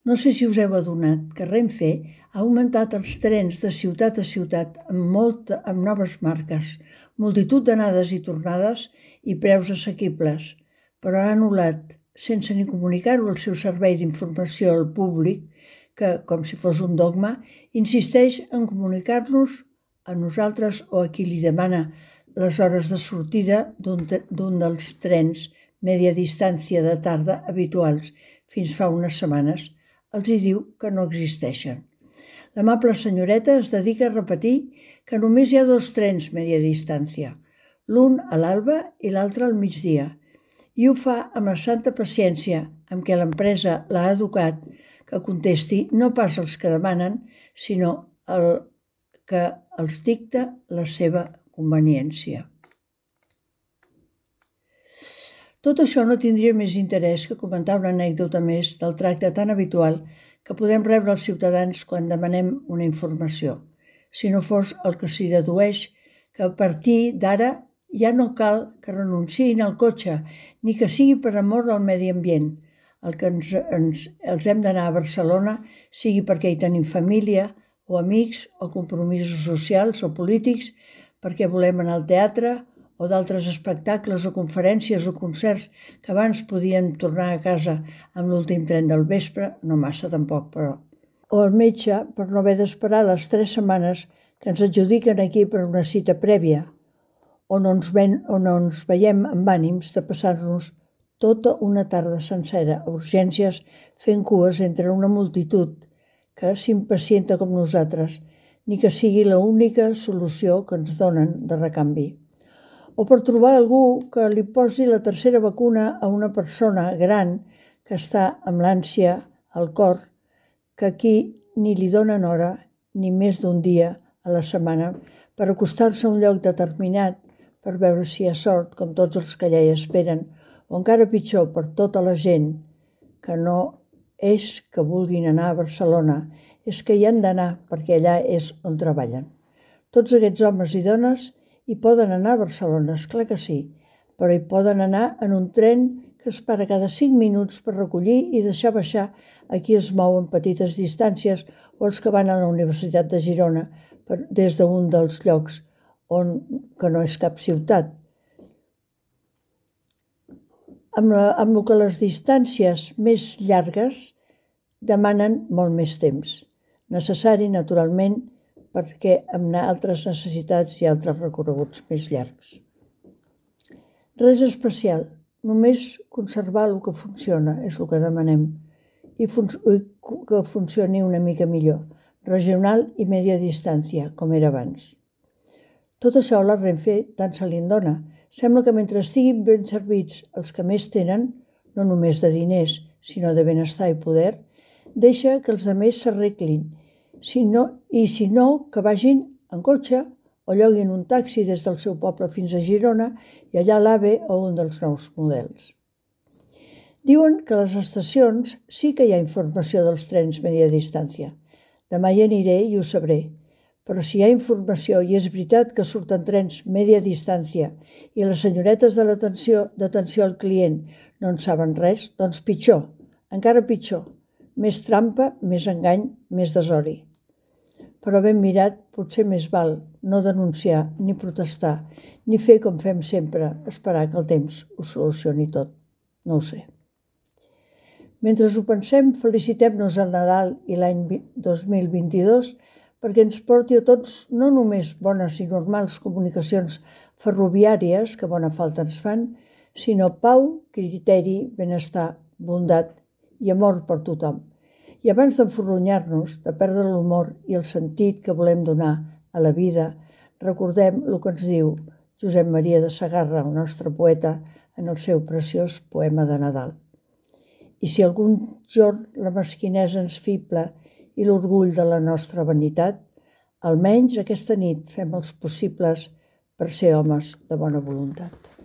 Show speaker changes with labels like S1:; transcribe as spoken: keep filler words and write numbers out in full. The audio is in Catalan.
S1: No sé si us heu adonat que Renfe ha augmentat els trens de ciutat a ciutat amb, molta, amb noves marques, multitud d'anades i tornades i preus assequibles, però ha anul·lat, sense ni comunicar-ho al seu servei d'informació al públic, que, com si fos un dogma, insisteix en comunicar-nos a nosaltres o a qui li demana les hores de sortida d'un dels trens media distància de tarda habituals fins fa unes setmanes. Els hi diu que no existeixen. L'amable senyoreta es dedica a repetir que només hi ha dos trens media distància, l'un a l'alba i l'altre al migdia, i ho fa amb la santa paciència amb què l'empresa l'ha educat, que contesti no pas els que demanen, sinó el que els dicta la seva conveniència. Tot això no tindria més interès que comentar una anècdota més del tracte tan habitual que podem rebre els ciutadans quan demanem una informació, si no fos el que s'hi dedueix que a partir d'ara ja no cal que renunciïn al cotxe, ni que sigui per amor del medi ambient. El que ens, ens, els hem d'anar a Barcelona sigui perquè hi tenim família o amics o compromisos socials o polítics, perquè volem anar al teatre o d'altres espectacles o conferències o concerts que abans podíem tornar a casa amb l'últim tren del vespre, no massa tampoc, però. O al metge per no haver d'esperar les tres setmanes que ens adjudiquen aquí per una cita prèvia, o no ens, ven, o no ens veiem amb ànims de passar-nos tota una tarda sencera a urgències fent cues entre una multitud que s'impacienta com nosaltres, ni que sigui l'única solució que ens donen de recanvi. O per trobar algú que li posi la tercera vacuna a una persona gran que està amb l'ànsia al cor, que aquí ni li donen hora ni més d'un dia a la setmana per acostar-se a un lloc determinat per veure si hi ha sort, com tots els que allà hi esperen, o encara pitjor per tota la gent que no és que vulguin anar a Barcelona, és que hi han d'anar perquè allà és on treballen. Tots aquests homes i dones hi poden anar a Barcelona, esclar que sí, però hi poden anar en un tren que es para cada cinc minuts per recollir i deixar baixar a qui es mou en petites distàncies o els que van a la Universitat de Girona per, des d'un dels llocs on, que no és cap ciutat. Amb, la, amb el que les distàncies més llargues demanen molt més temps, necessari naturalment perquè amb altres necessitats i altres recorreguts més llargs. Res especial, només conservar el que funciona és el que demanem i fun- que funcioni una mica millor, regional i media distància, com era abans. Tot això la Renfe tant se li en dona. Sembla que mentre estiguin ben servits els que més tenen, no només de diners, sinó de benestar i poder, deixa que els altres s'arreglin. Si no, I si no, que vagin en cotxe o lloguin un taxi des del seu poble fins a Girona i allà l'AVE o un dels nous models. Diuen que a les estacions sí que hi ha informació dels trens media distància. Demà hi aniré i ho sabré. Però si hi ha informació i és veritat que surten trens media distància i les senyoretes de l'atenció d'atenció al client no en saben res, doncs pitjor, encara pitjor. Més trampa, més engany, més desori. Però ben mirat, potser més val no denunciar, ni protestar, ni fer com fem sempre, esperar que el temps ho solucioni tot. No ho sé. Mentre ho pensem, felicitem-nos al Nadal i l'any dos mil vint-i-dos perquè ens porti a tots no només bones i normals comunicacions ferroviàries, que bona falta ens fan, sinó pau, criteri, benestar, bondat i amor per tothom. I abans d'enforronyar-nos, de perdre l'humor i el sentit que volem donar a la vida, recordem el que ens diu Josep Maria de Sagarra, el nostre poeta, en el seu preciós poema de Nadal. I si algun jorn la mesquinesa ens fibla i l'orgull de la nostra vanitat, almenys aquesta nit fem els possibles per ser homes de bona voluntat.